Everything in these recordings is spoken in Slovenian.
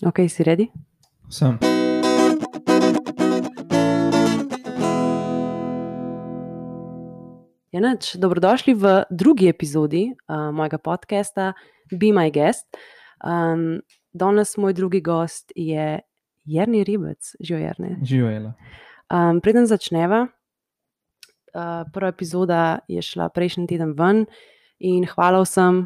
Ok, si ready? Sem. Ja, nič. Dobrodošli v drugi epizodi mojega podcasta Be My Guest. Danes moj drugi gost je Jernej Ribec. Živijo, Jernej. Živijo, Ela. Preden začneva, prva epizoda je šla prejšnji teden ven in hvala vsem,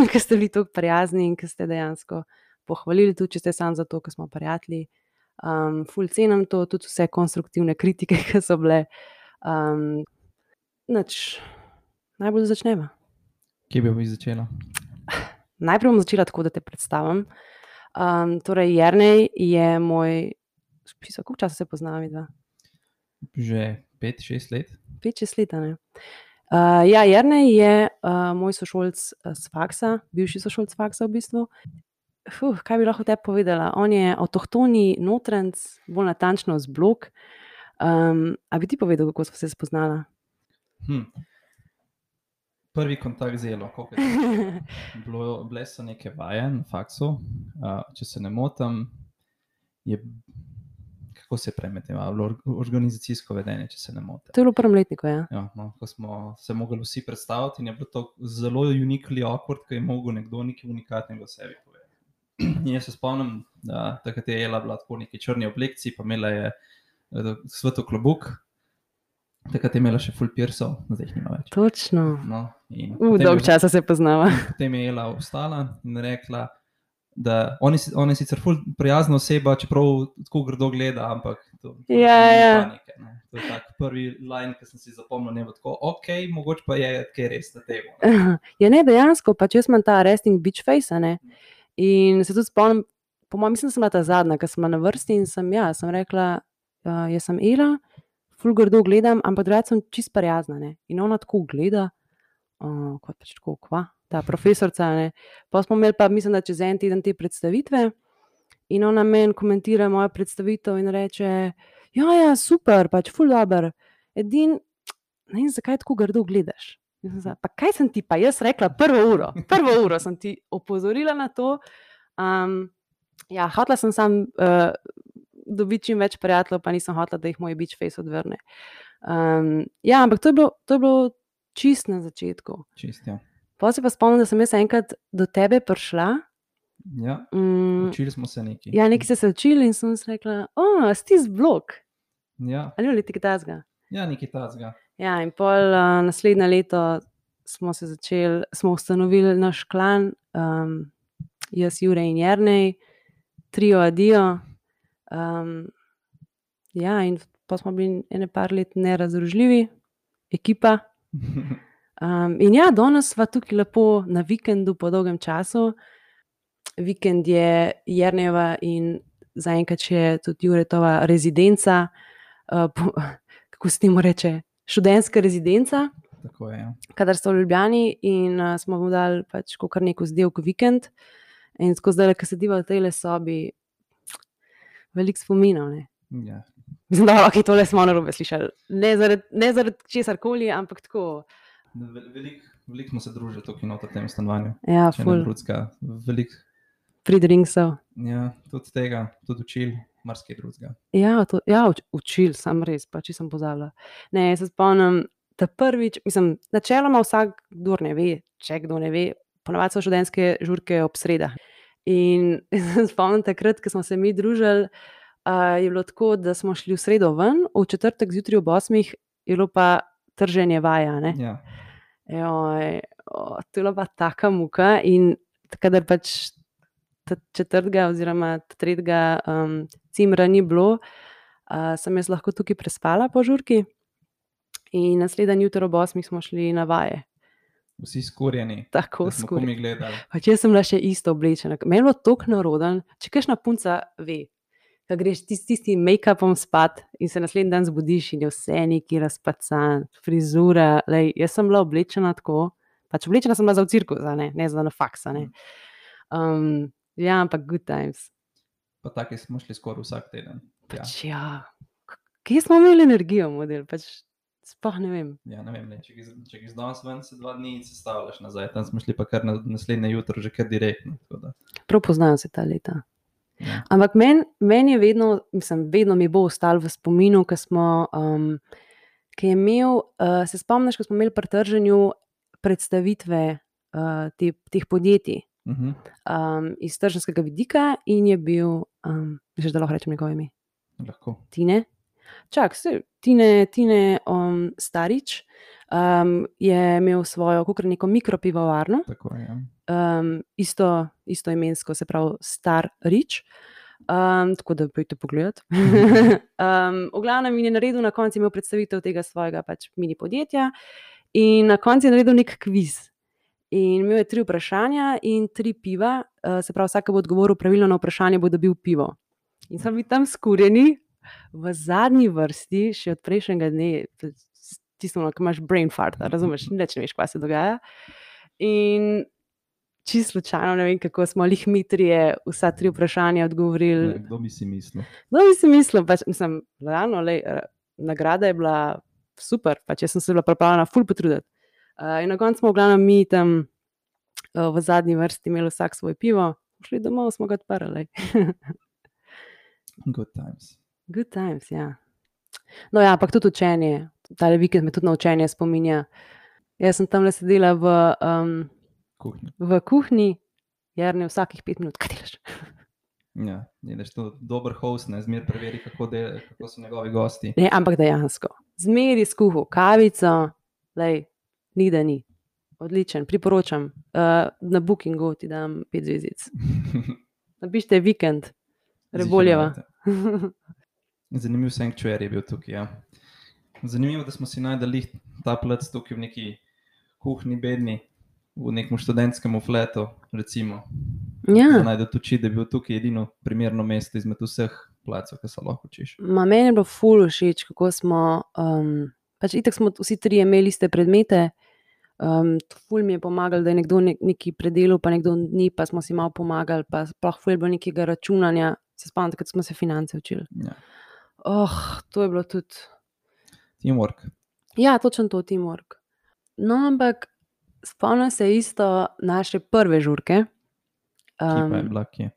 ki ste bili tako prijazni in ki ste dejansko pohvalili, tudi če ste samo zato, ker smo prijatelji. Ful cenim to, tudi vse konstruktivne kritike, ki so bile. Najbolj začneva. Kje bi začela? Najprej bom začela tako, da te predstavim. Torej, Jernej je moj, koliko časa se poznava midva? Že 5-6 let. 5-6 let, ne? Ja, Jernej je moj sošolc s faksa, bivši sošolc faksa v bistvu. Kaj bi lahko tebi povedala? On je avtohtoni Notranjec, bolj natančno z Blok. A bi ti povedal, kako sva se spoznala? Prvi kontakt z Elo, koliko je to? Bile so neke vaje na faksu, če se ne motim, kako se premetevalo, organizacijsko vedenje, če se ne motim. To je bilo v prvem letniku, ja. Ja, no, ko smo se mogli vsi predstaviti in je bilo to zelo uniquely awkward, ko je mogel nekdo nekaj unikatnega o sebi povedati. In jaz se spomnim, da takrat je Ela bila tako v neki črni oblekci, pa imela je sveto klobuk. Takrat je imela še full pirsov, zdaj jih nima več. Točno. No, dolgo časa se poznava. Potem je Ela vstala in rekla, da on je sicer ful prijazna oseba, čeprav tako grdo gleda, ampak to ni panike. Ne. To je tak prvi line, ki sem si zapomnil, ne bo tako, okej, mogoče pa je kaj res na temo. Ja, ne, dejansko, pač jaz imam ta resting bitch face, ne. In se tudi spomnim, po mojem, mislim, da sem bila ta zadnja, ki sem bila na vrsti in sem rekla, jaz sem Ela, ful grdo gledam, ampak drugače sem čisto prijazna, ne. In ona tako gleda, kot pač tako, kva, ta profesorca, ne. Pa smo imeli pa, mislim, da čez en teden te predstavitve in ona meni komentira mojo predstavitev in reče, ja, super, pač ful dober, edino, ne vem, zakaj tako grdo gledaš. Pa kaj sem ti pa jaz rekla prvo uro sem ti opozorila na to. Ja, hotela sem samo dobiti čim več prijateljev, pa nisem hotela, da jih moj bitch face odvrne. Ja, ampak to je bilo čist na začetku. Čist, ja. Potem se pa spomnim, da sem jaz enkrat do tebe prišla. Ja, učili smo se nekaj. Ja, nekaj ste se učili in sem si rekla, si ti z Blok? Ja. Ali ni nekaj tazga? Ja, nekaj tazga. Ja, in pol naslednje leto smo ustanovili naš klan, jaz, Jure in Jernej, trio Adio. Ja, in pa smo bili ene par let nerazdružljivi, ekipa. In ja, danes sva tukaj lepo na vikendu po dolgem času. Vikend je Jernejeva in zaenkrat še tudi Juretova rezidenca, kako se temu reče, študentska rezidenca. Tako je, ja. Kadar sta v Ljubljani in smo mu dali pač kar neko zdevk vikend. In tako zdaj, ko sediva v tejle sobi, veliko spominov, ne. Ja. Mislim, da ok, tole smo narobe slišali. Ne zaradi česarkoli, ampak tako. Veliko smo se družili tukaj noter v tem stanovanju. Ja, ful. Veliko. Free drinksov. Ja, tudi tega, tudi učil, marsikaj drugega. Ja, učil, sam res, pa če sem pozabila. Ne, se spomnim, ta prvič, mislim, načeloma vsak, kdor ne ve, če kdo ne ve, ponavadi so študentske žurke ob sredah. In se spomnim takrat, ko smo se mi družili, je bilo tako, da smo šli v sredo ven, v četrtek zjutraj ob 8 je bilo pa trženje vaja, ne. Ja. To je bila pa taka muka in kadar pač četrtega oziroma tretjega cimra ni bilo, sem jaz lahko tukaj prespala po žurki in naslednji jutro ob 8 smo šli na vaje. Vsi skurjeni. Tako da smo komaj gledali. Pač jaz sem bila še isto oblečena. Meni je bilo toliko narodno, če kakšna punca ve, ko greš tistim make-upom spat in se naslednji dan zbudiš in je vse neki razpacan, frizura, jaz sem bila oblečena tako, pač oblečena sem bila za v cirkus, ne za na faks, ne. Ja, ampak good times. Pa taki smo šli skoraj vsak teden. Pač ja, kje smo imeli energijo, model, pač sploh ne vem. Ja, ne vem, če greš danes ven, se 2 dni sestavljaš nazaj, tam smo šli pa kar na naslednje jutro, že kar direktno. Prav poznajo se ta leta. Ampak meni je vedno mi bo ostalo v spominu, ki je imel, se spomniš, ko smo imeli pri trženju predstavitve teh podjetij iz tržnskega vidika in je bil, misliš, da lahko rečem njegovo ime? Lahko. Tine? Tine Starič je imel svojo neko mikropivovarno. Tako je, ja. Isto imensko, se pravi Star Rič. Tako da pojdite pogledat. V glavnem je naredil, na koncu imel predstavitev tega svojega pač mini podjetja in na koncu je naredil nek kviz. In imel je 3 vprašanja in 3 piva, se pravi vsak bo odgovoril pravilno na vprašanje, bo dobil pivo. In smo bili tam skurjeni v zadnji vrsti, še od prejšnjega dne, tisno, ko imaš brain fart, razumeš, nič ne veš, kaj se dogaja. In čisto slučajno, ne vem, kako smo lih mi trije vsa 3 vprašanja odgovorili. Kdo bi si mislil? Pač, realno, nagrada je bila super, pač jaz sem se bila pripravljena ful potruditi. In na koncu smo v glavnem mi tam v zadnji vrsti imeli vsak svoj pivo, šli domov, smo ga odprli. Good times. Good times, ja. No ja, ampak tudi učenje, tale vikend me tudi na učenje spominja. Jaz sem tamle sedela v kuhinji, Jernej vsakih 5 minut, kaj delaš? Ja, ideš to dober host, ne, zmer preveri, kako so njegovi gosti. Ne, ampak dejansko, zmeri skuhal kavico, ni da ni. Odličen, priporočam. Na Bookingu ti dam 5 zvezdic. Napišite vikend, Reboljeva. Zanimiv sanctuary je bil tukaj, ja. Zanimivo, da smo si najdeli ta plac tukaj v neki kuhinji bedni, v nekem študentskem fletu, recimo. Ja. Da najdete oči, da je bil tukaj edino primerno mesto izmed vseh placov, ki se lahko učiš. Meni je bilo ful všeč, kako smo, pač itak smo vsi 3 imeli iste predmete, ful mi je pomagal, da je nekdo nekaj predelal, pa nekdo ni, pa smo si malo pomagali, pa sploh ful je bilo nekega računanja, se spomnite, kad smo se finance učili. Ja. To je bilo tudi... Teamwork. Ja, točno to, teamwork. No, ampak spomnim se isto naše prve žurke. Ki pa je bila kje?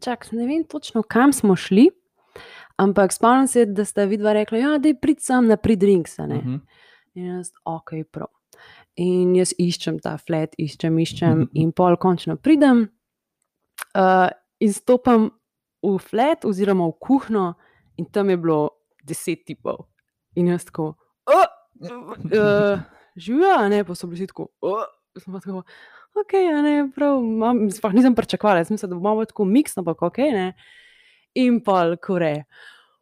Čak, ne vem točno, kam smo šli, ampak spomnim se, da sta vidva rekla, ja, daj prid sam na pre-drinks, ne. In jaz, ok, prav. In jaz iščem ta flat, iščem in pol končno pridem in stopam v flat oziroma v kuhno in tam je bilo 10 tipov. In jaz tako, živja, ne, pa so bili vsi tako, sem pa tako, ok, ne, prav, sploh nisem pričakovala, jaz mislim, da bo malo tako miksno, pa ok, ne. In pol kore,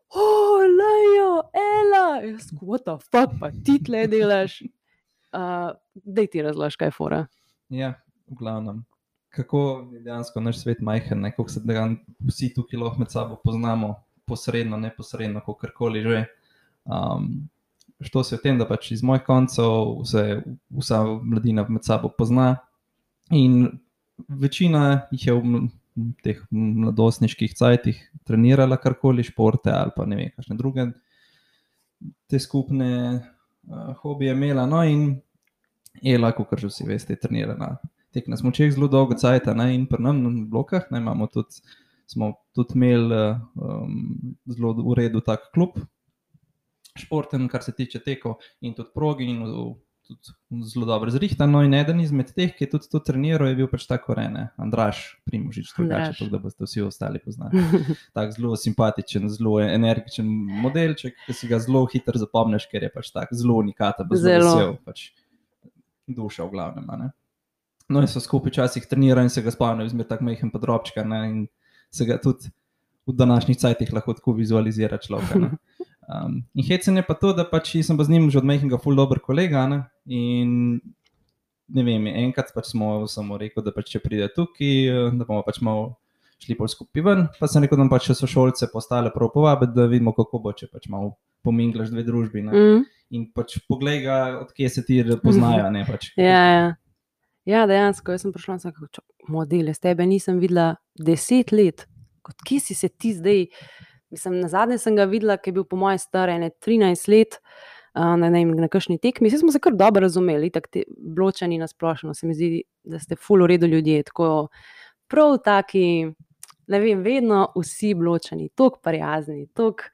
Lejo, Ela, jaz, what the fuck, pa ti tle delaš? Daj ti razloži, kaj je fora. Ja, v glavnem. Kako je dejansko naš svet majhen, ne, kako se vsi tukaj lahko med sabo poznamo, posredno, neposredno, kakorkoli že. Što se v tem, da pač iz mojih koncev se vsa mladina med sabo pozna in večina jih je v teh mladostniških cajtih trenirala karkoli, športe ali pa ne vem, kakšne druge te skupne hobije imela. No in Ela, kakor že vsi veste, je trenirala tek na smučeh zelo dolgo cajta, ne, in pri nam na blokah, ne, smo tudi imeli zelo v redu tak klub športen, kar se tiče tekov in tudi progi in tudi zelo dobro zrihtan. No in eden izmed teh, ki je tudi to treniral, je bil pač tako Andraž Primožič, drugače, tako da boste vsi ostali poznali. Tak zelo simpatičen, zelo energičen modelček, ki si ga zelo hitro zapomniš, ker je pač tak zelo unikaten, zelo vesel, pač duša v glavnem, ne. No in so skupaj včasih trenirali in se ga spomnil izmed tak majhen podrobčka, ne, in se ga tudi v današnjih cajtih lahko tako vizualizira človeka, ne. In hecen je pa to, da pač sem pa z njim že od majhnega ful dober kolega, ne, in ne vem, enkrat pač sem mu rekel, da pač če pride tukaj, da bomo pač malo šli bolj skupaj ven, pa sem rekel, da pač še sošolce postale prav povabiti, da vidimo, kako bo, če pač malo pominglaš dve družbi, ne, in pač poglej ga, od kje se ti poznajo, ne, pač. Ja, dejansko, jaz sem prišla in sem kako, model, jaz tebe nisem videla 10 let, od kje si se ti zdaj... Mislim, nazadnje sem ga videla, ki je bil po moje star 13 let na kakšni tekmi. Vsi smo se kar dobro razumeli, tako te Bločani na splošno, se mi zdi, da ste ful v redu ljudje, tako prav taki ne vem, vedno vsi bločeni, toliko prijazni, toliko,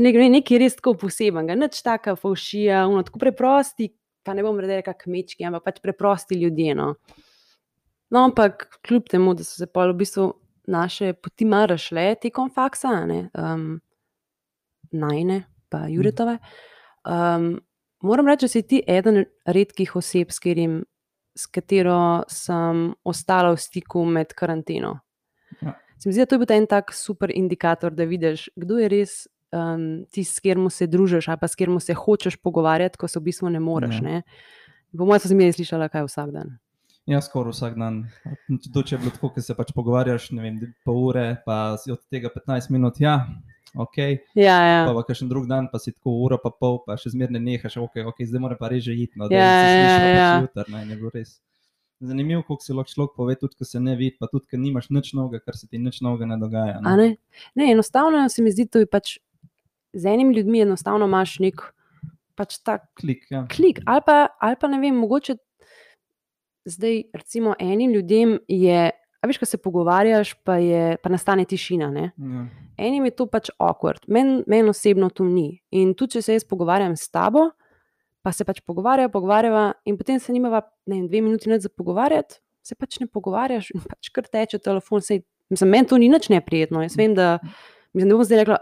nekaj res tako posebenega, nič taka fovšija, tako preprosti, pa ne bom rekla kmečki, ampak pač preprosti ljudje, no. No, ampak kljub temu, da so se pol v bistvu naše poti malo razšle tekom faksa, ne, najine pa Juretove, moram reči, da si ti eden redkih oseb, s katero sem ostala v stiku med karanteno. Ja. Se mi zdi, da to je bil en tak super indikator, da vidiš, kdo je res tisti, s katerim se družiš ali pa s katerim se hočeš pogovarjati, ko se v bistvu ne moreš. Ja. Ne. Po mojem sem zmeraj slišala kaj vsak dan. Ja, skoraj vsak dan. To, če je bilo tako, ker se pač pogovarjaš, ne vem, pol ure, pa si od tega 15 minut, ja, ok. Ja. Pa kakšen drug dan, pa si tako uro pa pol, pa še zmeraj ne nehaš, ok, zdaj mora pa res že iti, no, da se slišimo pač jutr, ne, je bilo res. Zanimivo, koliko si lahko človek pove, tudi ko se ne vidi, pa tudi, ko nimaš nič novega, kar se ti nič novega ne dogaja. A ne? Ne, enostavno se mi zdi, to je pač z enimi ljudmi enostavno imaš nek pač tak klik, ja. Ali pa ne vem, mogoče zdaj recimo enim ljudem je, a veš, ko se pogovarjaš, pa nastane tišina, ne? Ja. Enim je to pač awkward, meni osebno to ni. In tudi, če se jaz pogovarjam s tabo, pa se pač pogovarjava in potem se nimava, ne vem, 2 minuti nič za pogovarjati, se pač ne pogovarjaš in pač kar teče telefon. Meni to ni nič neprijetno. Jaz vem, da ne bom zdaj rekla,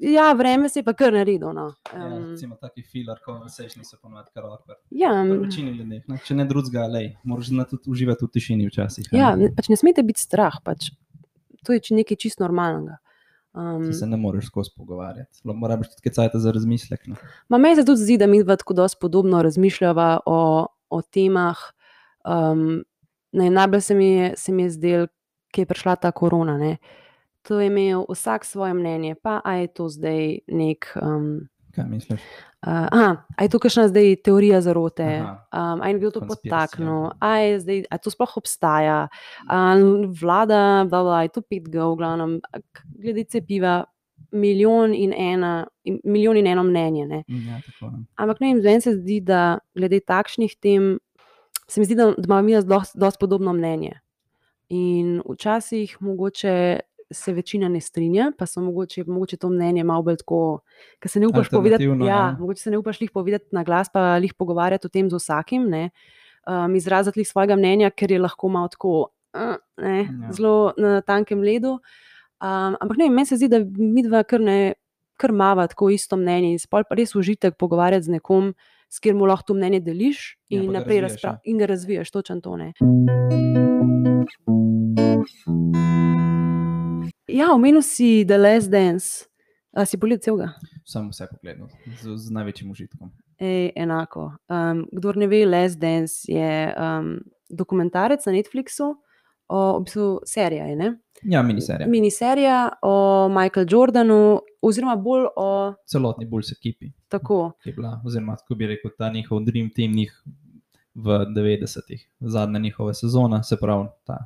ja, vreme se je pa kar naredilo, no. Ja, recimo taki filar conversation se ponovadi kar awkward. Ja. Pri večini ljudeh, ne? Če ne drugega, moraš tudi uživati v tišini včasih. Ja, pač ne smete biti strah, pač to je nekaj čisto normalnega. Se ne moreš skozi pogovarjati. Moraš tudi kaj cajta za razmislek. Ne? Meni se tudi zdi, da mi dva tako dosti podobno razmišljava o temah. Najbolj se mi je zdelo, ko je prišla ta korona, ne. To je imel vsak svoje mnenje, pa a je to zdaj nek... Kaj misliš? A je to kakšna zdaj teorija zarote, a je bil to podtaknil, a to sploh obstaja, vlada, je to 5G, v glavnem, glede cepiva, milijon in eno mnenje, ne. Ja, tako. Ampak ne vem, meni se zdi, da glede takšnih tem, se mi zdi, da imamo mi dosti podobno mnenje. In včasih mogoče se večina ne strinja, pa so mogoče to mnenje malo bolj tako, ker se ne upaš povedati, mogoče se ne upaš lih povedati na glas, pa lih pogovarjati o tem z vsakim, ne, izraziti lih svojega mnenja, ker je lahko malo tako, zelo na tankem ledu. Ampak ne vem, meni se zdi, da midva kar mava tako isto mnenje in spol pa res užitek pogovarjati z nekom, s katerim lahko to mnenje deliš in naprej in ga razvijaš, točno to, ne. Ja, omenil si The Last Dance. Si pogledal celega? Sem vse pogledal, z največjim užitkom. Enako. Kdor ne ve, Last Dance je dokumentarec na Netflixu, v bistvu serija je, ne? Ja, miniserija. Miniserija o Michael Jordanu, oziroma bolj o... Celotni Bulls ekipi. Tako. Ki je bila, oziroma tako bi rekel, ta njihov dream team v 90-ih, zadnja njihova sezona, se pravi ta,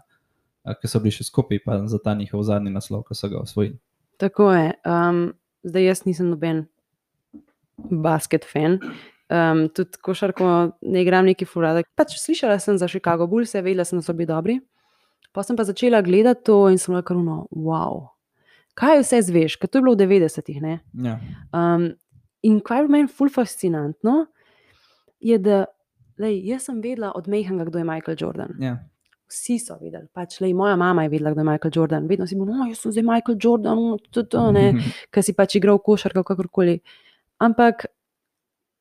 ki so bili še skupaj, pa za ta njihov zadnji naslov, ko so ga osvojili. Tako je. Zdaj jaz nisem noben basket fan. Tudi košarko ne igram neki ful rada. Pač slišala sem za Chicago Bulls, vedela sem, da so bili dobri. Pa sem pa začela gledati to in sem rekla, wow, kaj vse zveš, ker to je bilo v 90-ih, ne? Ja. In kaj je meni ful fascinantno, je, da jaz sem vedela od majhnega, kdo je Michael Jordan. Ja. Vsi so vedeli, pač moja mama je vedela, kdo je Michael Jordan. Vedno si bil, jaz sem zdaj Michael Jordan, ker si pač igral košarko, kakorkoli. Ampak,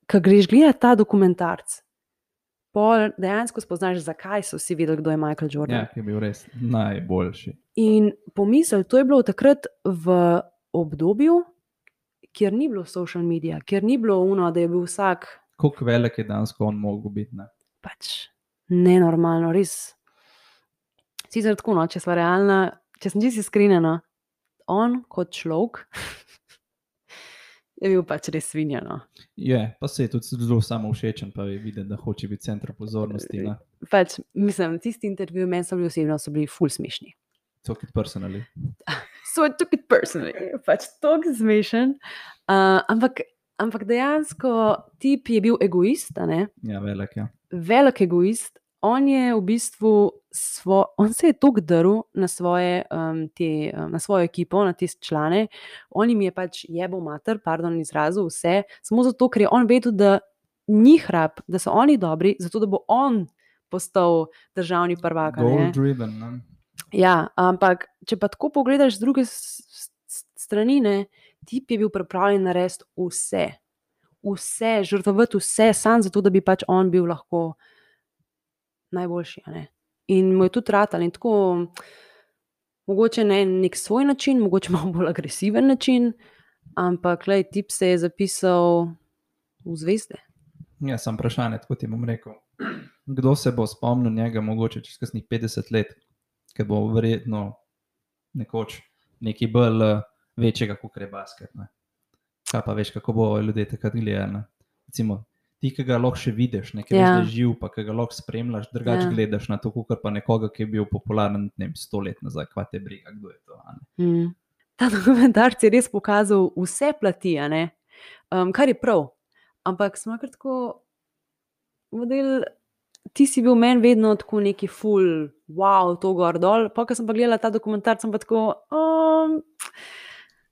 ko greš gledati ta dokumentarc, pol dejansko spoznaš, zakaj so vsi vedeli, kdo je Michael Jordan. Ja, ki je bil res najboljši. In pomisel, to je bilo takrat v obdobju, kjer ni bilo social media, kjer ni bilo da je bil vsak... Koliko velik je dansko on mogel biti, ne? Pač nenormalno, res. Sicer tako, če sva realna, če sem čisto iskrena, on kot človek je bil pač res svinja, no. Je, pa se je tudi zelo samovšečen, pa je videti, da hoče biti center pozornosti, ne. Pač, mislim, tisti intervju meni so bili osebno, so bili ful smešni. Took it personally. So I took it personally. Pač toliko smešen. Ampak dejansko tip je bil egoist, ne. Ja, velik, ja. Velik egoist. on je v bistvu on se je toliko drl na na svojo ekipo, na te člane, on jim je pač jebal mater, pardon izrazu, vse, samo zato, ker je on vedel, da njih rab, da so oni dobri, zato da bo on postal državni prvak. Goal driven, ne? Ja, ampak če pa tako pogledaš z druge strani, ne, tip je bil pripravljen narediti vse, žrtvovati vse, samo zato, da bi pač on bil lahko najboljši. Ne? In mu je tudi ratal in tako, mogoče ne nek svoj način, mogoče malo bolj agresiven način, ampak lej, tip se je zapisal v zvezde. Ja, sam vprašanje, tako ti bom rekel. Kdo se bo spomnil njega mogoče čez kasnih 50 let, ker bo verjetno nekoč nekaj bolj večjega, kot je basket. Ne? Kaj pa veš, kako bo ljudje takrat gledali. Recimo, ti, ki ga lahko še vidiš, nekaj veš, da je živ, pa ki ga lahko spremljaš, drugače gledaš na to, kot pa nekoga, ki je bil popularen 100 let nazaj, kva te briga, kdo je to. Ta dokumentarc je res pokazal vse plati, kar je prav. Ampak smo kar tako model, ti si bil meni vedno tako neki ful, wow, to gor dol, pa ko sem pa gledala ta dokumentarc, sem pa tako...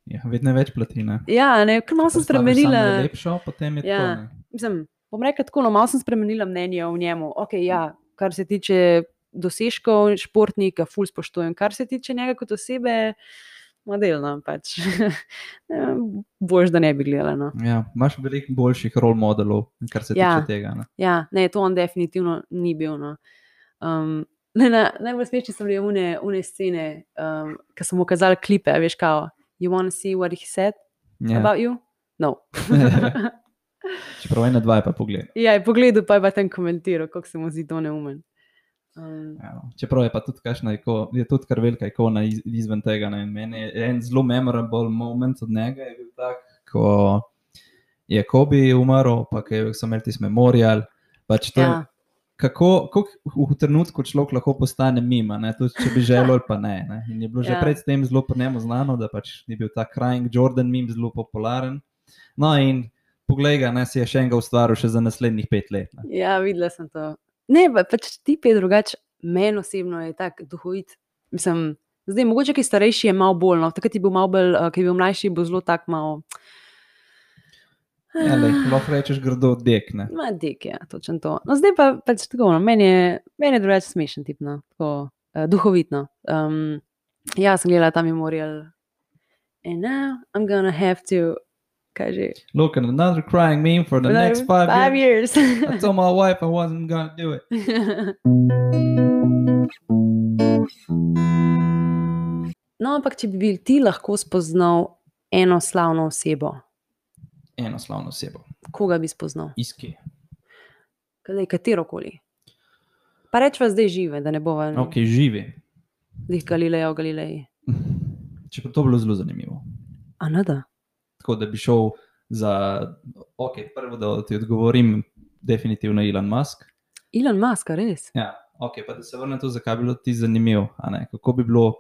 Ja, vedno več plati, ne? Ja, ne, ker malo sem spremenila... Samo lepšo, potem je tako, ne? Mislim, bom rekla tako, malo sem spremenila mnenje o njemu. Ok, ja, kar se tiče dosežkov športnika, ful spoštujem. Kar se tiče njega kot osebe, modelno pač. Boljš, da ne bi gledala, no. Ja, imaš veliko boljših role modelov, kar se tiče tega, ne? Ja, ne, to on definitivno ni bil, no. Najbolj smešni so bile une scene, ko so mu kazali klipe, veš kao, you wanna see what he said about you? No. Čeprav 1-2 je pa pogled. Ja, je pogledal, pa je pa tam komentiral, kako se mu zdi to neumen. Čeprav je pa tudi kakšna, je tudi kar velika ikona izven tega. Ne? Meni je en zelo memorable moment od njega je bil tak, ko je Kobe umrl, pa ko so imeli tisti memorial. Pač to, kako v trenutku človek lahko postane mima, ne? Tudi če bi želel ali pa ne. In je bilo že pred tem zelo po njemu znano, da pač ni bil ta Crying Jordan meme zelo popularen. No in poglej ga, ne, si je še enega ustvaril še za naslednjih 5 let. Ne? Ja, videla sem to. Ne, pač tip je drugače, meni osebno je tak duhovit. Mislim, zdaj, mogoče, ki starejši je malo bolj, no, takrat je bil malo bolj, ki je bil mlajši, bo zelo tak malo... Ja, lahko rečeš grdo dek, ne? Dek, ja, točno to. No, zdaj pa pač tako, no, meni je drugače smešen tip, no, tako, duhovitno. Ja, sem gledala ta memorial. And now I'm gonna have to... Look at another crying meme for the next 5 years. I told my wife I wasn't gonna do it. No, ampak če bi ti lahko spoznal eno slavno osebo. Eno slavno osebo. Koga bi spoznal? Iz kje? Katerokoli. Pa rečva zdaj žive, da ne bova... Ok, živi. Dih Galileji. Če pa to bilo zelo zanimivo. A ne da? Tako da bi šel za, ok, prvo da ti odgovorim, definitivno Elon Musk. Elon Musk, res? Ja, ok, pa da se vrnem to, zakaj bi bilo ti zanimivo, a ne, kako bi bilo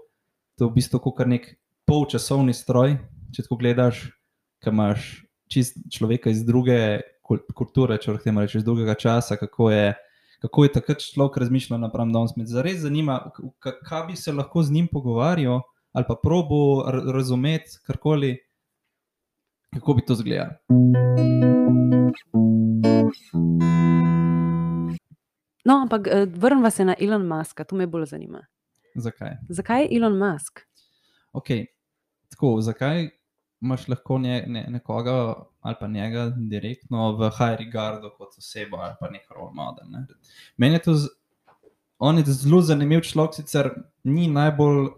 to v bistvu kot kar nek polčasovni stroj, če tako gledaš, ko imaš čist človeka iz druge kulture, če lahko temu rečeš, iz drugega časa, kako je takrat človek razmišljal napram danes. Me zares zanima, kaj bi se lahko z njim pogovarjal, ali pa probo razumeti karkoli. Kako bi to izgledalo? No, ampak vrnva se na Elon Muska, to me bolj zanima. Zakaj? Zakaj Elon Musk? Ok, tako, zakaj imaš lahko nekoga ali pa njega direktno v high regardu kot osebo ali pa nek role model, ne? Meni je to, on je zelo zanimiv človek, sicer ni najbolj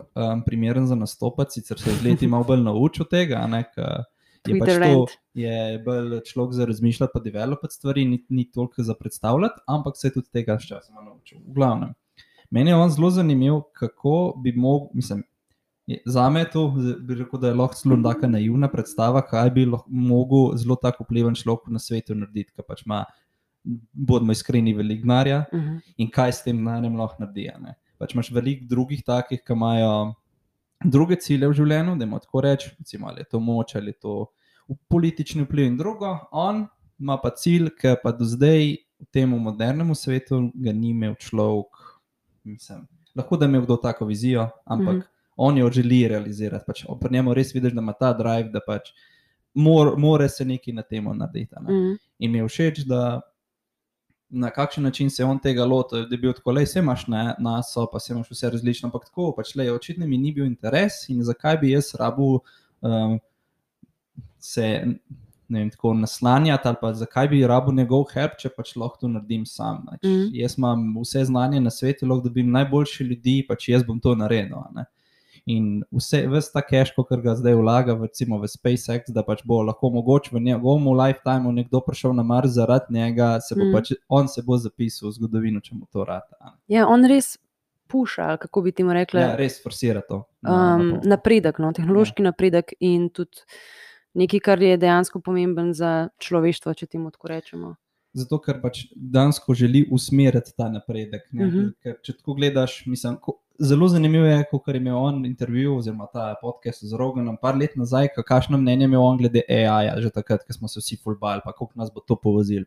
primeren za nastopati, sicer se z leti malo bolj naučil tega, ne, je pač to, je bolj človek za razmišljati pa developati stvari, ni toliko za predstavljati, ampak se je tudi tega s časoma naučil. V glavnem, meni je on zelo zanimiv, kako bi mislim, zame je to, bi rekel, da je lahko zelo taka naivna predstava, kaj bi mogel zelo tako vpliven človek na svetu narediti, ki pač ima, bodimo iskreni, veliko denarja in kaj s tem denarjem lahko naredi, ne. Pač imaš veliko drugih takih, ki imajo druge cilje v življenju, da ima tako reči, recimo, ali je to moč, ali je to politični vpliv in drugo. On ima pa cilj, ki pa do zdaj v tem modernemu svetu ga ni imel človek, mislim, lahko da je imel kdo tako vizijo, ampak on jo želi realizirati. Pač pri njemu res vidiš, da ima ta drive, da pač more se nekaj na temo narediti. In mi je všeč, da na kakšen način se on tega lotil, da je bil tako, lej, se imaš naso, pa se imaš vse različno, ampak tako, pač lej, očitno mi ni bil interes in zakaj bi jaz rabil se, ne vem, tako naslanjati ali pa zakaj bi rabil njegov help, če pač lahko to naredim sam. Jaz imam vse znanje na svetu, lahko dobim najboljše ljudi, pač jaz bom to naredil, ne. In ves ta cash, kar ga zdaj vlaga recimo v SpaceX, da pač bo lahko mogoče v njegovem lifetimeu nekdo prišel na Mars zaradi njega, on se bo zapisal v zgodovino, če mu to rata. Ja, on res puša, kako bi temu rekla. Ja, res forsira to. Napredek, tehnološki napredek in tudi nekaj, kar je dejansko pomemben za človeštvo, če temu tako rečemo. Zato, ker pač dejansko želi usmeriti ta napredek. Ker če tako gledaš, mislim, zelo zanimivo je, kakor je imel on intervju oziroma ta podcast z Roganom par let nazaj, kakšno mnenje imel on glede AI-ja, že takrat, ko smo se vsi ful bali, pa koliko nas bo to povozili.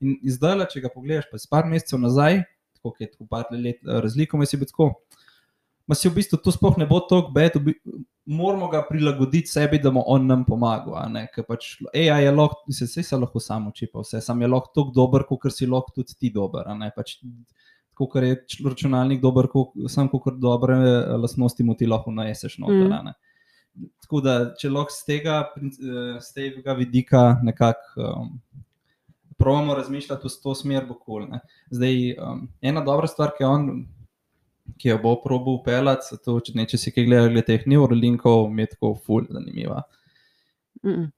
In zdaj, če ga pogledaš, pa par mesecev nazaj, tako je tako par let razliko, si bi tako, si v bistvu to sploh ne bo toliko bed, moramo ga prilagoditi sebi, da bo on nam pomagal, ker pač AI je lahko, se lahko sam uči pa vse, sam je lahko toliko dober, kakor si lahko tudi ti dober, pač kakor je računalnik dober, sam kakor dobre lastnosti mu ti lahko najeseš noter, Tako da, če lahko z tega vidika nekako probamo razmišljati v to smer, bo cool, Zdaj, ena dobra stvar, ki jo bo probal upeljati, če si kaj gledal glede teh neuralinkov, mi je tako ful zanimiva.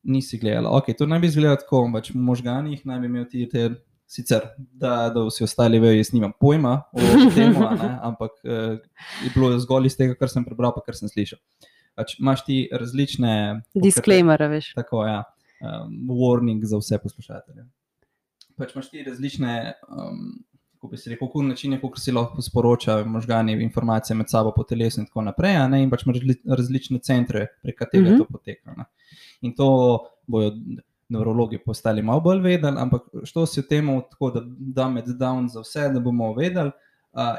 Nisi gledala. Ok, to naj bi izgledalo tako, pač v možganih naj bi imel ti te, sicer, da vsi ostali vejo, jaz nimam pojma o temu, ampak je bilo zgolj iz tega, kar sem prebral, pa kar sem slišal. Pač imaš ti različne disclaimer, veš. Tako, ja. Warning za vse poslušatelje. Pač imaš ti različne kako bi se rekel, načine, kako si lahko sporoča možgani informacije med sabo po telesu in tako naprej, in pač imaš različne centre, prek katerega to poteka. In to bojo nevrologi postali malo bolj vedeli, ampak što si v temu tako, da dumb it down za vse, da bomo vedeli,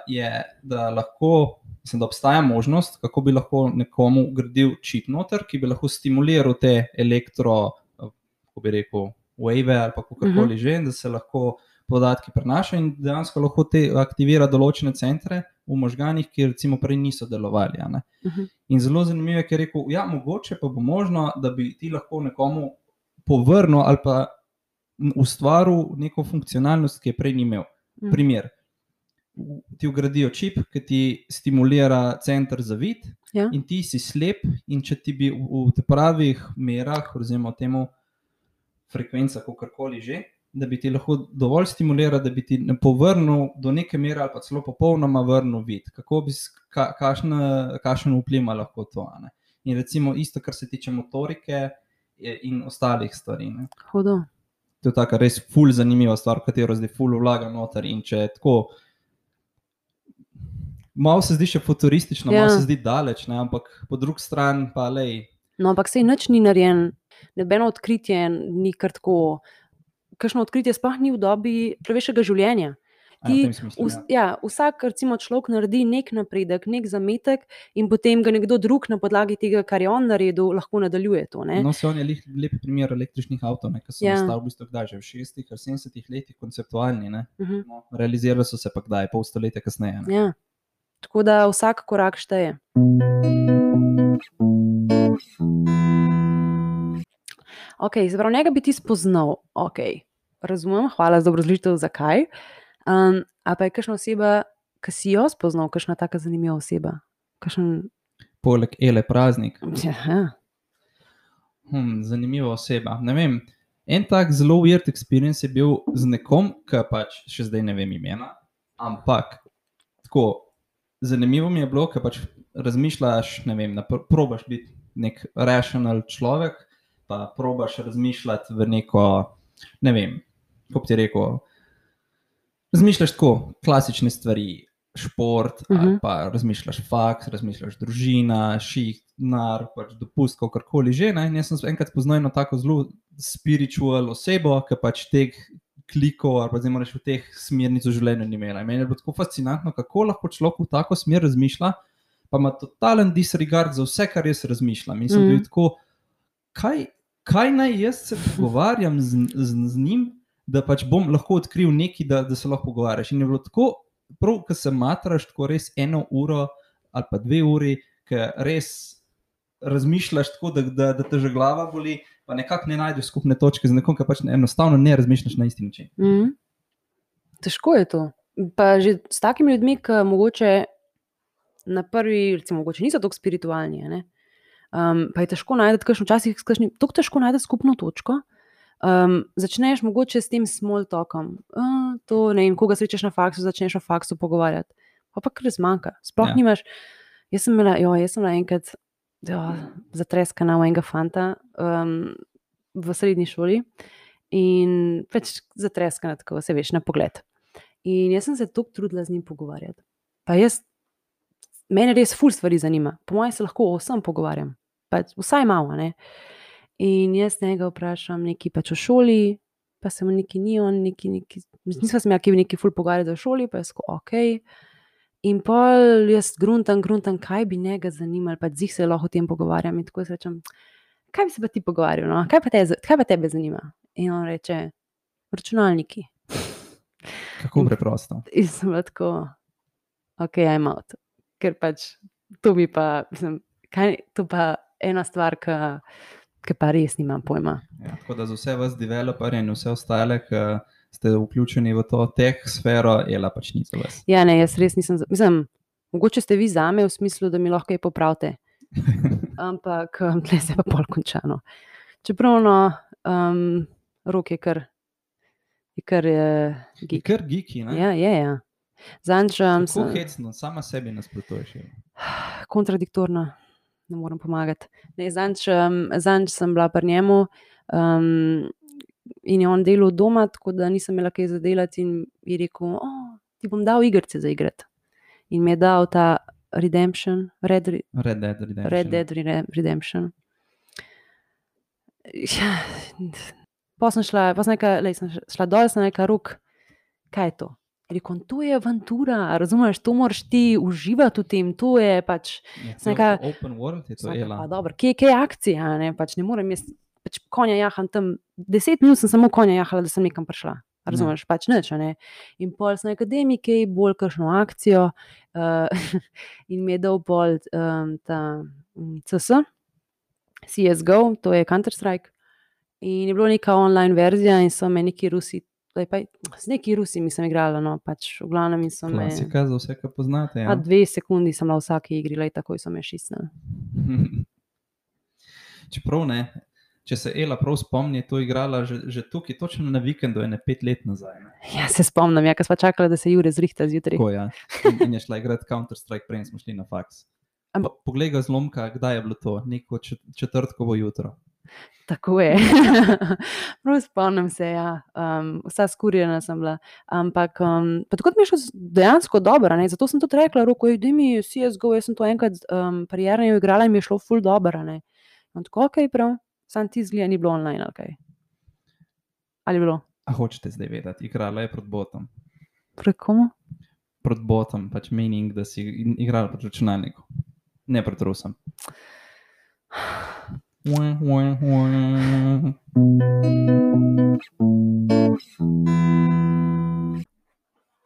je, da lahko, mislim, da obstaja možnost, kako bi lahko nekomu gradil čip noter, ki bi lahko stimuliral te kako bi rekel, wave ali pa kakorkoli že, da se lahko podatki prenaša in dejansko lahko te aktivira določene centre v možganih, ki recimo prej niso delovali. In zelo zanimivo je, ker je rekel, ja, mogoče pa bo možno, da bi ti lahko nekomu povrnil ali pa ustvaril neko funkcionalnost, ki je prej ni imel. Primer, ti vgradijo čip, ki ti stimulira center za vid in ti si slep in če ti bi v te pravih merah, oziroma temu frekvenca, kakorkoli že, da bi ti lahko dovolj stimuliral, da bi ti povrnil do neke mere ali pa celo popolnoma vrnil vid. Kakšen vpliv ima lahko to? In recimo isto, kar se tiče motorike in ostalih stvari. Hudo. To je taka res ful zanimiva stvar, katero zdaj ful vlaga noter in če je tako, malo se zdi še futuristično, malo se zdi daleč, ampak po drugi strani pa lej. No, ampak sej nič ni narejen, nobeno odkritje ni kar tako. Kakšno odkritje sploh ni v dobi človeškega življenja. Vsak recimo človek naredi nek napredek, nek zametek in potem ga nekdo drug na podlagi tega, kar je on naredil, lahko nadaljuje to. No, se on je lep primer električnih avtov, ki so nastali v bistvu kdaj, že v 60. ali 70. letih konceptualni. No, realizirali so se pa kdaj, pol stoletja kasneje. Ja. Tako da vsak korak šteje. Ok, zapravo njega bi ti spoznal, razumem, hvala za obrazložitev, zakaj. A pa je kakšna oseba, ki si jo spoznal, kakšna taka zanimiva oseba? Poleg Ele Praznik. Ja. Zanimiva oseba, ne vem. En tak zelo weird experience je bil z nekom, ki pač še zdaj ne vem imena, ampak tako, zanimivo mi je bilo, ker pač razmišljaš, ne vem, probaš biti nek rational človek, pa probaš razmišljati v neko, ne vem, kako ti rekel, razmišljaš tako, klasične stvari, šport, ali pa razmišljaš faks, razmišljaš družina, šiht, nar, pač dopust, kakorkoli že, in jaz sem enkrat spoznal eno tako zelo spiritual osebo, ki pač klikov ali pa zdaj moraš v teh smernic v življenju ni imela. In meni je bilo tako fascinantno, kako lahko človek v tako smer razmišlja, pa ima totalen disregard za vse, kar jaz razmišljam. In sem bil tako, kaj naj jaz se pogovarjam z njim, da pač bom lahko odkril nekaj, da se lahko pogovarjaš. In je bilo tako, prav, ko se matraš tako res 1 uro ali pa 2 uri, ker res razmišljaš tako, da te že glava boli, pa nekako ne najdeš skupne točke z nekom, ki pač enostavno ne razmišljaš na isti način. Težko je to. Pa že s takimi ljudmi, ki mogoče na prvi, recimo, mogoče niso tako spiritualni, ne? Pa je težko najti, včasih tako težko najti skupno točko. Začneš mogoče s tem small talkom. To, ne vem, koga srečaš na faksu, začneš o faksu pogovarjati. Pa kar zmanjka. Sploh nimaš. Jaz sem bila enkrat zatreskana v enega fanta v srednji šoli in pač zatreskana, tako se veš, na pogled. In jaz sem se toliko trudila z njim pogovarjati. Pa mene res ful stvari zanima. Po mojem se lahko o vsem pogovarjam. Pač vsaj malo, ne. In jaz njega vprašam nekaj pač o šoli, pa se mu nekaj ni on, nisva se imela nekaj ful pogovarjati o šoli, pa je tako, okej. In pol jaz gruntam, kaj bi njega zanimalo, pa zih se lahko o tem pogovarjam. In tako jaz rečem, kaj bi se pa ti pogovarjal, no? Kaj pa tebe zanima? In on reče, računalniki. Kako preprosto. In sem bila tako, okej, I'm out. Ker pač to bi pa, to pa ena stvar, ki pa res nimam pojma. Ja, tako da za vse vas developerje in vse ostale, ki ste vključeni v to teh sfero, pač ni za vas. Ja, ne, jaz res nisem, mogoče ste vi zame v smislu, da mi lahko kaj popravite. Ampak tle se pa pol končano. Čeprav Rok je kar geek. Je kar geeki, ne? Ja. Kako hecno, sama sebi nasprotuješ. Kontradiktorno, ne morem pomagati. Zanj sem bila pri njemu in je on delal doma, tako da nisem imela kaj za delati in je rekel, ti bom dal igrice za igrati. In mi je dal ta Redemption, Red Dead Redemption. Pa sem šla dol, sem rekla, Rok, kaj je to? Rekel, to je avantura, razumeš, to moraš ti uživati v tem, to je pač... Open world je to, Pa dobro, kje je akcija, ne, pač ne morem jaz, pač konja jaham tam, 10 minut sem samo konja jahala, da sem nekam prišla, razumeš, pač nič, ne. In pol sem rekla, daj mi kaj bolj kakšno akcijo in mi je dal pol ta CS, CSGO, to je Counter-Strike, in je bilo neka online verzija in so me neki Rusi, z neki Rusi mi sem igrala, no, pač v glavnem in so me... Klasika za vse, ki poznate, ja. 2 sekundi sem bila v vsaki igri, takoj so me šisnili. Čeprav ne, če se Ela prav spomni, to igrala že tukaj, točno na vikendu, 5 let nazaj. Ne? Ja, se spomnim, ko sva čakala, da se Jure zrihta zjutraj. Tako, ja. In je šla igrati Counter-Strike, prej smo šli na faks. Poglej ga zlomka, kdaj je bilo to, neko četrtkovo jutro. Tako je. Prav spomnim se, ja. Vsa skurjena sem bila. Ampak pa tako mi je šlo dejansko dobro, ne? Zato sem tudi rekla, Roko, daj mi CSGO, jaz sem to enkrat parjerno igrala in mi je šlo ful dobro, ne. In tako, okej, prav, sam ti zgleda ni bilo online, ali kaj. Ali je bilo? A hočete zdaj vedeti, igrala je proti botom. Proti komu? Proti botom, pač meaning, da si igrala proti računalniku. Ne proti Rusom.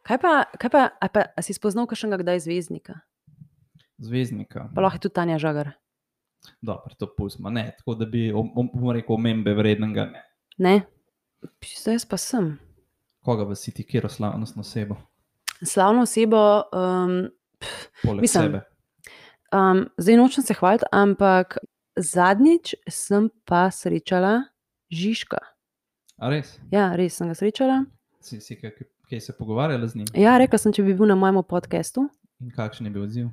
Kaj pa, a si spoznal kakšnega kdaj zvezdnika? Zvezdnika? Pa lahko je tudi Tanja Žagar. Dobro, to pustimo, ne, tako da bi, bom rekel, omembe vrednega, ne. Ne? Zdaj jaz pa sem. Koga vas si ti, kjero slavnostno osebo? Slavno osebo, poleg sebe. Zdaj nočem se hvaliti, ampak zadnjič sem pa srečala Žižka. A res? Ja, res sem ga srečala. Si kaj se pogovarjala z njim? Ja, rekla sem, če bi bil na mojem podcastu. In kakšen je bil odziv?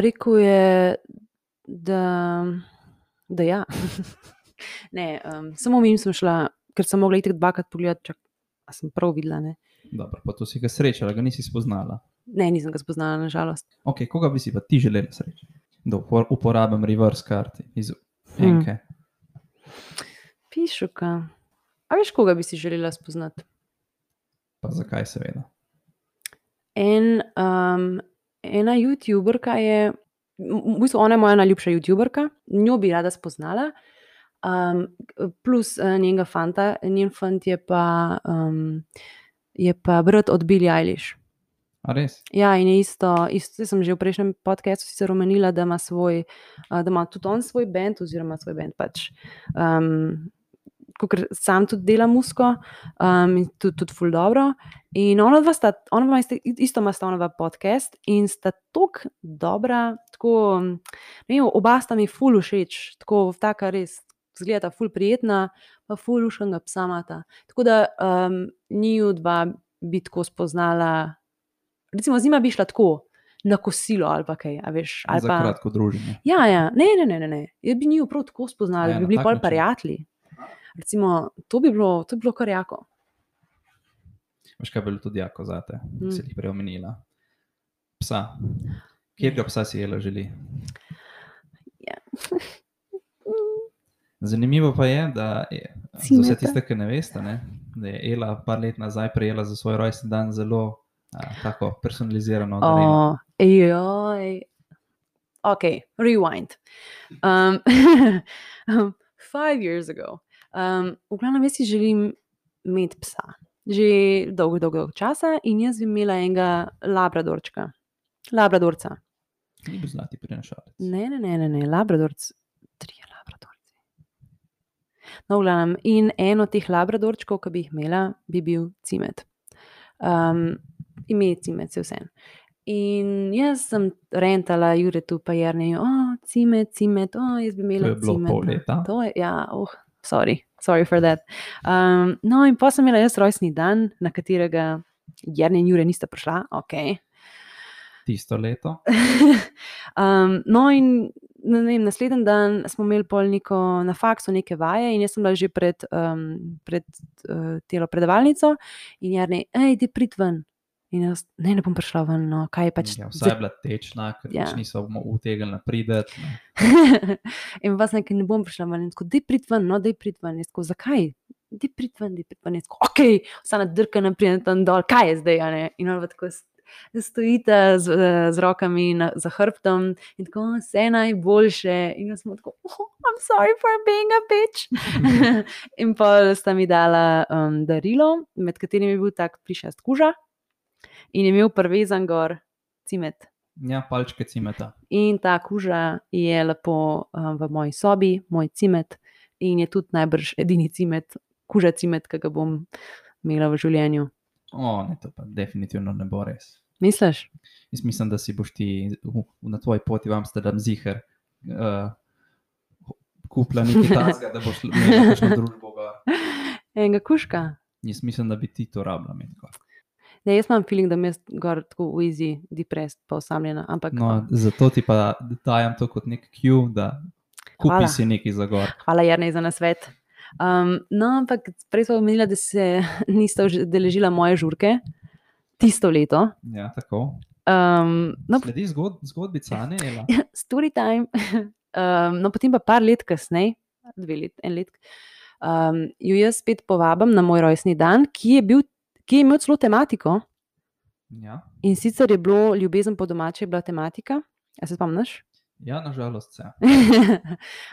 Rekel je, da ja. Ne, samo mimo sem šla, ker sem mogla iti 2-krat pogledati, a sem prav videla, ne. Dobro, pa to si ga srečala, ga nisi spoznala? Ne, nisem ga spoznala, nažalost. Ok, koga bi si pa ti želela srečati? Da uporabim reverse karti iz enke. Pišuka. A veš, koga bi si želela spoznati? Pa zakaj seveda? Ena youtuberka je, v bistvu ona je moja najljubša youtuberka, njo bi rada spoznala, plus njenega fanta, njen fant je pa brat od Billie Eilish. A res? Ja, in je isto sem že v prejšnjem podcastu sicer omenila, da ima tudi on svoj band, oziroma svoj band pač, kakor sam tudi dela muziko, in tudi ful dobro. In ona isto ima podcast in sta tako dobra, tako, ne vem, oba sta mi ful všeč, tako taka res, izgledata ful prijetna, pa ful luštnega psa imata. Tako da njiju dva bi tako spoznala, recimo z njima bi šla tako na kosilo ali pa kaj, a veš, ali Za pa kratko druženje. ja, ne. Jaz bi njiju prav tako spoznala, Ja, bi na bili tak pol način. prijatelji. Recimo, to bi bilo kar jako. Veš, kaj bi bilo tudi jako zate, si jih prej omenila. Psa. Kjerga psa si Ela želi? Ja. Zanimivo pa je, da za vse Cimeta. tiste, ki ne veste, ne, da je Ela par let nazaj prejela za svoj rojstni dan zelo tako personalizirano darilo. Joj. Ok, rewind. 5 years ago. V glavnem, jaz si želim imeti psa. Že dolgo časa, in jaz bi imela enega labradorčka. Labradorca. Ni bil zlati prinašalec. Ne, labradorc. 3 labradorci. No, v glavnem, in en od teh labradorčkov, ki bi jih imela, bi bil Cimet. Ime Cimet, se vseeno. In jaz sem rentala Juretu pa Jerneju, Cimet, jaz bi imela To je bilo Cimeta. pol leta. To je, ja, sorry for that. No, in potem sem imela jaz rojstni dan, na katerega Jernej in Jure nista prišla, ok. Tisto leto. No, in ne vem, naslednji dan smo imeli pol na faksu neke vaje, in jaz sem bila že pred telo predavalnico, in Jernej, ti prid ven. In jaz, ne bom prišla ven, no, kaj je pač. Ja, vsaj je bila tečna, ker Ja. pač niso utegnili prideti. In vas nekaj ne bom prišla ven, in tako, dej prid ven, jaz tako, zakaj? Dej prid ven, jaz tako, ok, vsa nadrkana pridem tam dol, kaj je zdaj, a ne? In ona tako stojite z rokami za hrbtom in tako, vse najboljše. In jaz smo tako, I'm sorry for being a bitch. In pol sta mi dala darilo, med katerimi je bil tak plišast kuža, in je imel privezan gor Cimet. Ja, palčke Cimeta. In ta kuža je lepo v moji sobi, moj Cimet, in je tudi najbrž edini Cimet, kuža Cimet, ki ga bom imela v življenju. Ne, to pa definitivno ne bo res. Misliš? Jaz mislim, da si boš ti na tvoji poti v Amsterdam ziher kupila nekaj tasga, da boš imela kakšno družbo gor. Enega kužka? Jaz mislim, da bi ti to rabila imeti gor. Ne, jaz imam feeling, da mi je gor tako easy, depressed, pa osamljena, ampak. No, zato ti pa dajem to kot nek cue, da kupi si nekaj za gor. Hvala, Jernej, za nasvet. No, ampak prej smo omenila, da se nista udeležila moje žurke tisto leto. Ja, tako. No, Sledi zgodbica, ne, Ela? story time. No, potem pa par let kasneje, 2 let, 1 let, jo jaz spet povabim na moj rojstni dan, ki je imel celo tematiko. Ja. In sicer je bilo Ljubezen po domače, je bila tematika. A se spomniš? Ja, nažalost se.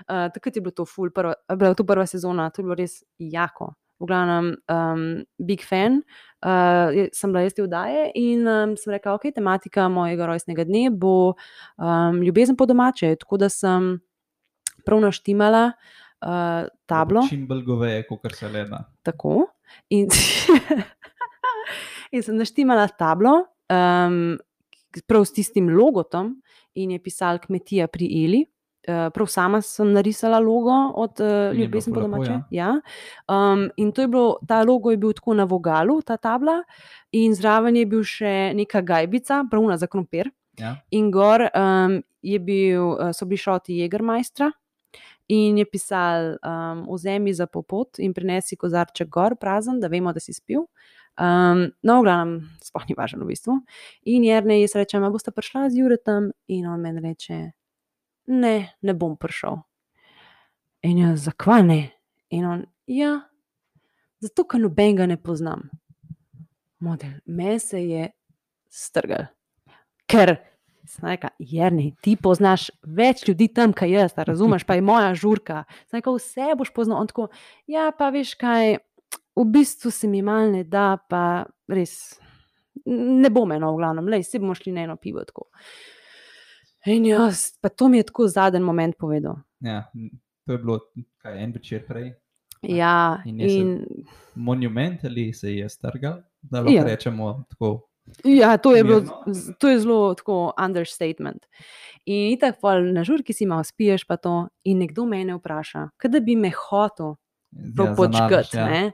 Takrat je bilo to ful, bila to prva sezona, to je bilo res jako. V glavnem, big fan, sem bila jaz te oddaje in sem rekla, ok, tematika mojega rojstnega dne bo Ljubezen po domače, tako da sem prav naštimala tablo. Čim bolj goveje, kakor se le da. Tako. In sem naštimala tablo, prav s tistim logotom, in je pisalo Kmetija pri Eli. Prav sama sem narisala logo od Ljubezen po domače. Ja. In ta logo je bil tako na vogalu, ta tabla, in zraven je bil še neka gajbica, pravna za krompir. Ja. In gor so bili šoti Jägermeistra, in je pisal, vzemi za popot in prinesi kozarček gor prazen, da vemo, da si spil. No, v glavnem, sploh ni važno v bistvu. In Jernej, jaz rečem, a boste prišla z Juretom? In on meni reče, ne bom prišel. In jaz, zakaj ne? In on, ja, zato, ker nobenega ne poznam. model, me se je strgal. Ker, sem rekla, Jernej, ti poznaš več ljudi tam, kaj jaz, razumeš, pa je moja žurka. Sem rekla, vse boš poznal. On tako, ja, pa veš kaj, v bistvu se mi mal ne da, pa res, ne bo me v glavnem, lej, se bomo šli na eno pivo tako. In jaz, pa to mi je tako zadnji moment povedal. Ja, to je bilo, kaj, en večer prej. Ja, in Monumentally se je strgal, da lahko rečemo tako. Ja, to je mirno. to je zelo tako understatement. In itak pol na žurki si malo spiješ pa to in nekdo mene vpraša, kaj da bi me hotel počkati, ne.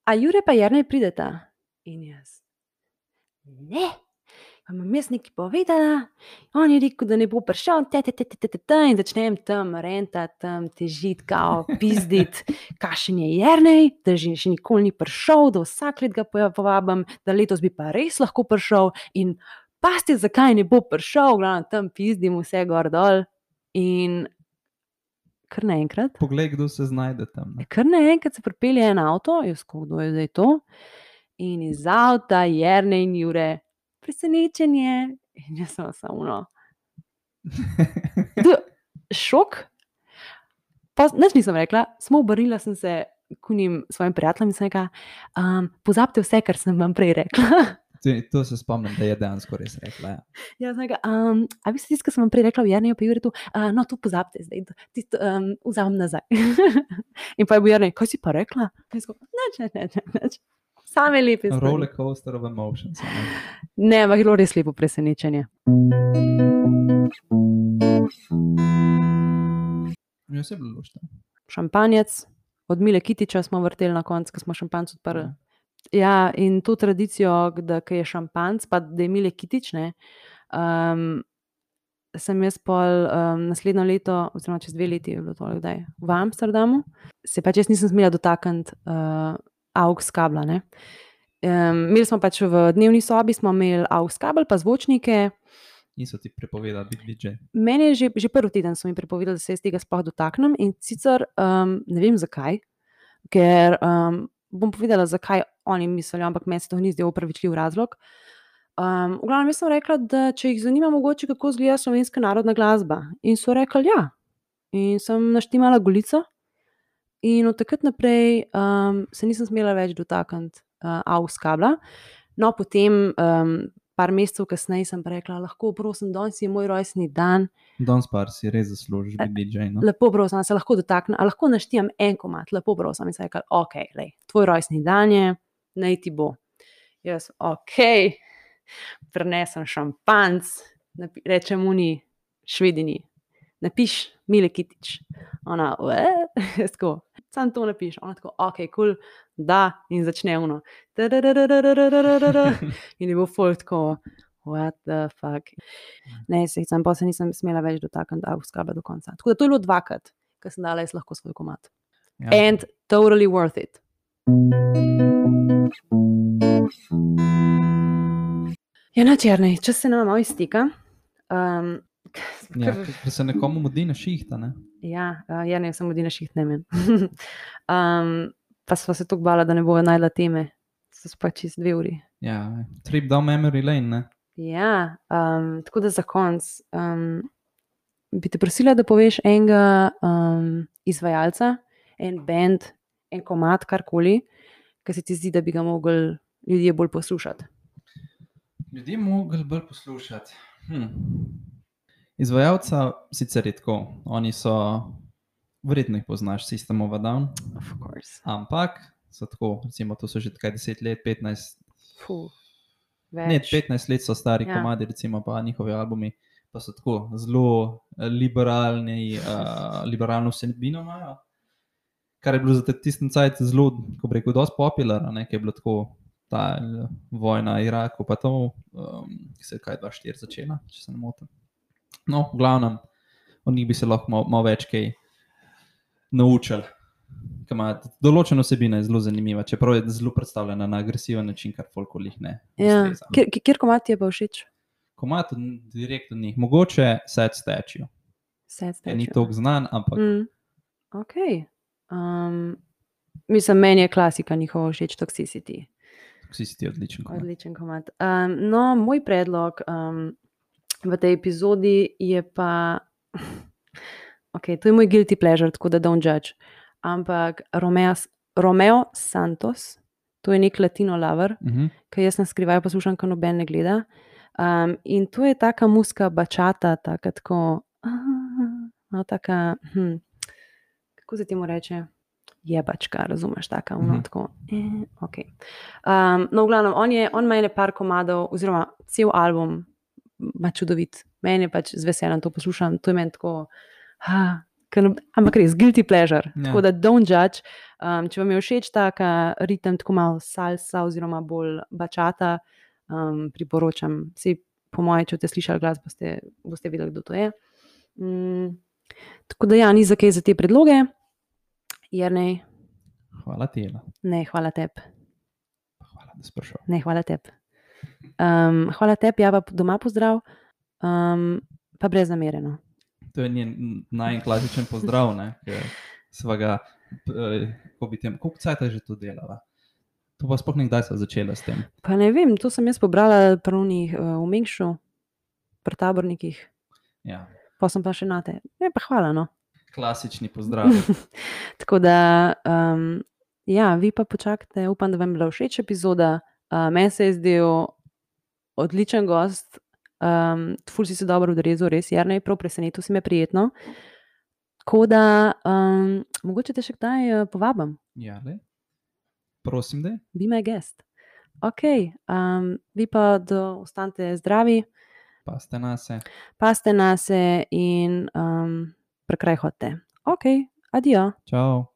A Jure pa Jernej prideta? In jaz, ne, pa imam jaz nekaj povedala, on je rekel, da ne bo prišel, in začnem tam rentati, tam težiti, kao pizditi, kakšen je Jernej, da že še nikoli ni prišel, da vsak let ga povabim, da letos bi pa res lahko prišel in pazite, zakaj ne bo prišel, glavno tam pizdim vse gor dol in kar naenkrat. Poglej, kdo se znajde tam. Kar naenkrat se pripelje en avto, jaz kdo je zdaj to, in iz avta Jernej in Jure. Presenečenje. In jaz sem samo šok. Pa nič nisem rekla, samo obrnila sem se k njim svojim prijateljem in sem rekla, pozabite vse, kar sem vam prej rekla. To se spomnim, da je dejansko res rekla. Ja, sem rekla, a vi ste tisto, kar sem vam prej rekla v Jerneju pa Juretu, no, to pozabite zdaj, vzamem nazaj. In pa je bil Jernej, kaj si pa rekla? Nič. Same lepe stvari. Rollercoaster of emotions. Ne, ampak je bilo res lepo presenečenje. Ja, se je bilo luštno. Šampanjec, od Mile Kitiča smo vrteli na koncu, ko smo šampanjec odprli. Ja, in to tradicijo, da je šampanjec, pa da je Mile Kitič, ne, sem jaz pol naslednjo leto, oziroma čez 2 leti je bilo to, kdaj, v Amsterdamu, se pač jaz nisem smela dotakniti AUX kabla, ne. Imeli smo pač v dnevni sobi, smo imeli AUX kabel pa zvočnike. Niso ti prepovedali biti DJ? Meni je že prvi teden so mi prepovedali, da se jaz tega sploh dotaknem in sicer ne vem zakaj, ker bom povedala, zakaj oni mislijo, ampak meni se to ni zdel opravičljiv razlog. V glavnem jaz sem rekla, da če jih zanima mogoče, kako izgleda slovenska narodna glasba. In so rekli ja. In sem naštimala Golico in od takrat naprej se nisem smela več dotakniti AUX kabla. No, potem par mesecev kasneje sem pa rekla, lahko prosim, danes je moj rojstni dan. Danes pa si res zaslužiš biti DJ, no? Lepo prosim, se lahko dotaknem, a lahko naštimam en komad, lepo prosim. In sem rekla, okej, lej, tvoj rojstni dan je, naj ti bo. Jaz, okej, prinesem šampanjec, rečem uni Švedini, napiš Mile Kitič. Ona, jaz tako, samo to napiš. Ona tako, okej, cool, da, in začne ono. In je bil folk tako, what the fuck. Ne, pa se nisem smela več dotakniti AUX kabla do konca. Tako da to je bilo 2-krat, ko sem dala jaz lahko svoj komad. Ja. And totally worth it. Ja, nič, Jernej, čas se nama malo izteka. Ja, ker se nekomu mudi na šihta, ne? Ja, Jernej se mudi na šiht, ne meni. Pa sva se toliko bala, da ne bova najdla teme. So pa čez 2 uri. Ja, trip down memory lane, ne? Ja, tako da za konc bi te prosila, da poveš enega izvajalca, en band, en komad, karkoli, ki se ti zdi, da bi ga mogli ljudje bolj poslušati. Ljudje mogli bolj poslušati. Izvajalca sicer je tako, oni so, verjetno jih poznaš, System of a Down. Of course. Ampak so tako, recimo, to so že takaj 10 let, 15. Več. Ne, 15 let so stari komadi, recimo, pa njihovi albumi, pa so tako zelo liberalno vsebino imajo, kar je bilo za tistem cajt zelo, ko bi rekel, dosti popularno, ne, ki je bilo tako ta vojna Iraku, pa to, ki se je kaj 2004 začela, če se ne motim. No, v glavnem, od njih bi se lahko malo več kaj naučili. Določena vsebina je zelo zanimiva, čeprav je zelo predstavljena na agresiven način, kar folko lih ne ustreza. Kjer komad ti je pa všeč? Komad direkt od njih, mogoče Sad Statue. Ni toliko znan, ampak Ok. Mislim, meni je klasika njihova všeč, Toxicity. Vsi si ti odličen komad. Odličen komad. No, moj predlog v tej epizodi je pa, ok, to je moj guilty pleasure, tako da don't judge, ampak Romeo Santos, to je nek latino lover, ki jaz na skrivaj poslušam, ko noben ne gleda. In to je taka muska bačata, tako, no, taka, kako se temu reče? Jebačka, razumeš, taka, tako, ok. No, v glavnem, on ima ene par komadov, oziroma cel album ima čudovit. Meni je pač z veseljem to poslušam, to je meni tako, ampak res, guilty pleasure, tako da don't judge. Če vam je všeč taka ritem, tako malo salsa oziroma bolj bačata, priporočam. Vsi, po moje, če boste slišali glas, boste vedeli, kdo to je. Tako da ja, ni za kaj za te predloge. Jernej. Hvala ti, Ela. Ne, hvala tebi. Hvala, da si prišel. Ne, hvala tebi. Hvala tebi, ja, pa doma pozdrav, pa brez namere, no. To je njen najklasičen pozdrav, ne, ker sva ga, koliko cajta že to delala? To pa sploh nekdaj sva začela s tem. Pa ne vem, to sem jaz pobrala pri onih v Mengšu, pri tabornikih. Ja. Pa sem pa še nate. Ne, pa hvala, no. Klasični pozdrav. Tako da, ja, vi pa počakajte, upam, da vam je bila všeč epizoda. Meni se je zdel odličen gost, ful si se dobro odrezal, res, Jernej, prav presenetil si me prijetno. Tako da, mogoče te še kdaj povabim. Ja, le. Prosim, da. Be my guest. Ok, vi pa ostanite zdravi. Paste nase. Paste nase in prekraj hodite. Ok, adijo. Čau.